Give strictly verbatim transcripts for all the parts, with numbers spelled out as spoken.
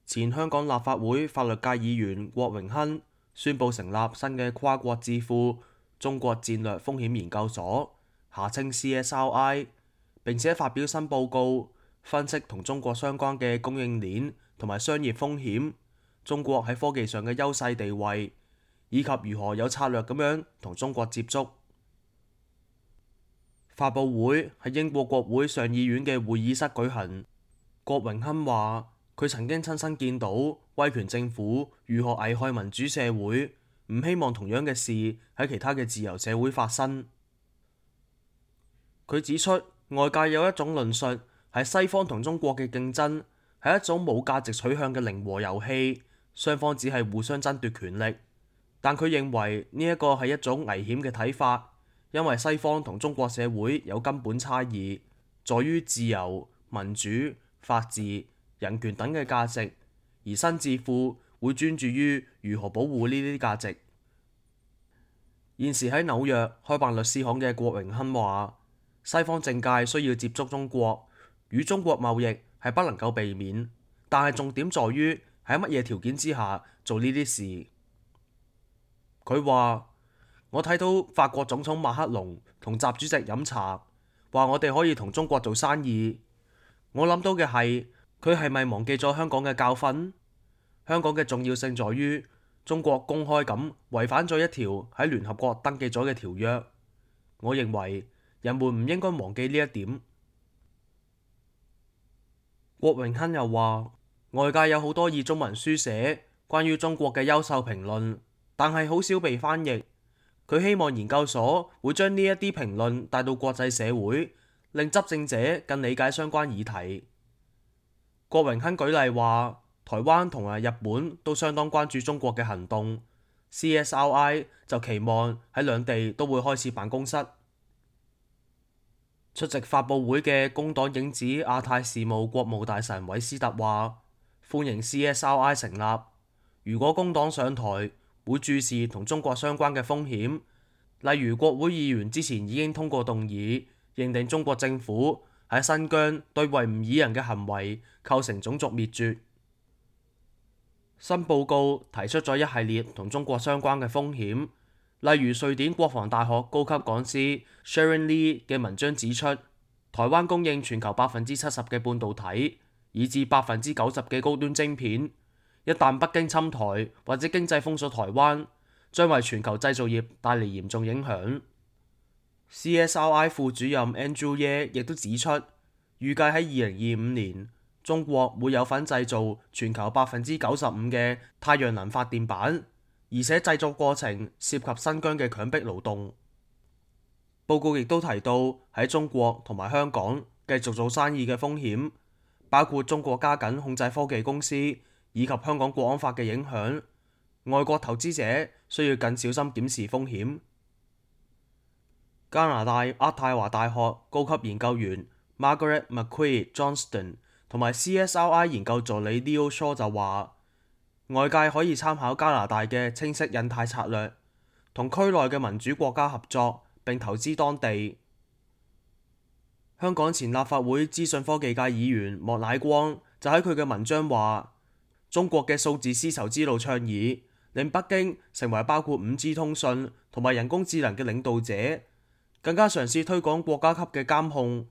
前香港立法會法律界議員郭榮鏗宣布成立新嘅跨國智庫中國戰略風險研究所（下稱 C S R I）， 並且發表新報告，分析同中國相關嘅供應鏈同埋商業風險，中國喺科技上嘅優勢地位，以及如何有策略咁樣同中國接觸。發佈會喺英國國會上議院嘅會議室舉行。郭榮鏗話：佢曾經親身見到威權政府如何危害民主社會，唔希望同樣嘅事喺其他嘅自由社會發生。佢指出，外界有一種論述係西方同中國嘅競爭係一種冇價值取向嘅零和遊戲，雙方只係互相爭奪權力。但佢認為呢一個係一種危險嘅睇法，因為西方同中國社會有根本差異，在於自由、民主、法治、人權等嘅價值，而新智庫會專注於如何保護呢啲價值。現時喺紐約開辦律師行嘅郭榮鏗話：西方政界需要接觸中國，與中國貿易係不能夠避免，但係重點在於喺乜嘢條件之下做呢啲事。佢話：我睇到法國總統馬克龍同習主席飲茶，話我哋可以同中國做生意。我諗到嘅係，佢係咪忘記咗香港嘅教訓？香港嘅重要性在於中國公開咁違反咗一條喺聯合國登記咗嘅條約。我認為人們唔應該忘記呢一點。郭榮鏗又話：外界有好多以中文書寫關於中國嘅優秀評論，但係好少被翻譯。佢希望研究所會將呢一啲評論帶到國際社會，令執政者更理解相關議題。郭榮鏗舉例話，台灣同埋日本都相當關注中國嘅行動， C S R I 就期望喺兩地都會開設辦公室。出席發佈會嘅工黨影子亞太事務國務大臣韋斯特話：歡迎 C S R I 成立，如果工黨上台，會注視同中國相關嘅風險，例如國會議員之前已經通過動議，認定中國政府喺新疆對維吾爾人嘅行為構成種族滅絕。新報告提出咗一系列同中國相關嘅風險，例如瑞典國防大學高級講師 Sharon Lee 嘅文章指出，台灣供應全球百分之七十嘅半導體，以至百分之九十嘅高端晶片。一旦北京侵台或者經濟封鎖台灣，將為全球製造業帶嚟嚴重影響。C S R I 副主任 Andrew Ye 亦都指出，預計喺二零二五年，中國會有份製造全球百分之九十五嘅太陽能發電板，而且製作過程涉及新疆嘅強迫勞動。報告亦都提到喺中國同埋香港繼續做生意嘅風險，包括中國加緊控制科技公司，以及香港國安法嘅影響，外國投資者需要更小心檢視風險。加拿大渥太華大學高級研究員 Margaret McQuaid Johnston 同埋 C S R I 研究助理 Leo Shaw 就話，外界可以參考加拿大嘅清晰印太策略，同區內嘅民主國家合作並投資當地。香港前立法會資訊科技界議員莫乃光就喺佢嘅文章話，中國嘅數字絲綢之路倡議令北京成為包括 五 G 通訊同埋人工智能嘅領導者，更加嘗試推廣國家級嘅監控。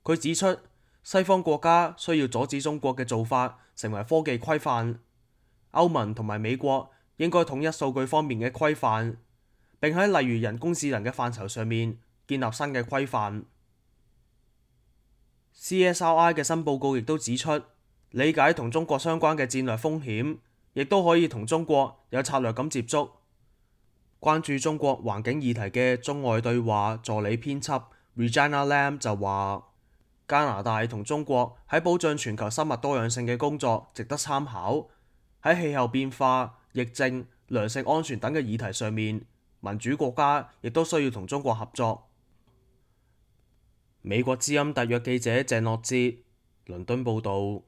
佢指出，西方國家需要阻止中國嘅做法成為科技規範，歐盟同埋美國應該統一數據方面嘅規範，並喺例如人工智能嘅範疇上面建立新嘅規範。C S R I 嘅新報告亦都指出，理解同中國相關嘅戰略風險，亦都可以同中國有策略咁接觸。關注中國環境議題嘅中外對話助理編輯 Regina Lam 就話，加拿大同中國喺保障全球生物多樣性嘅工作值得參考。喺氣候變化、疫症、糧食安全等嘅議題上面，民主國家亦都需要同中國合作。美國之音特約記者鄭樂哲，倫敦報導。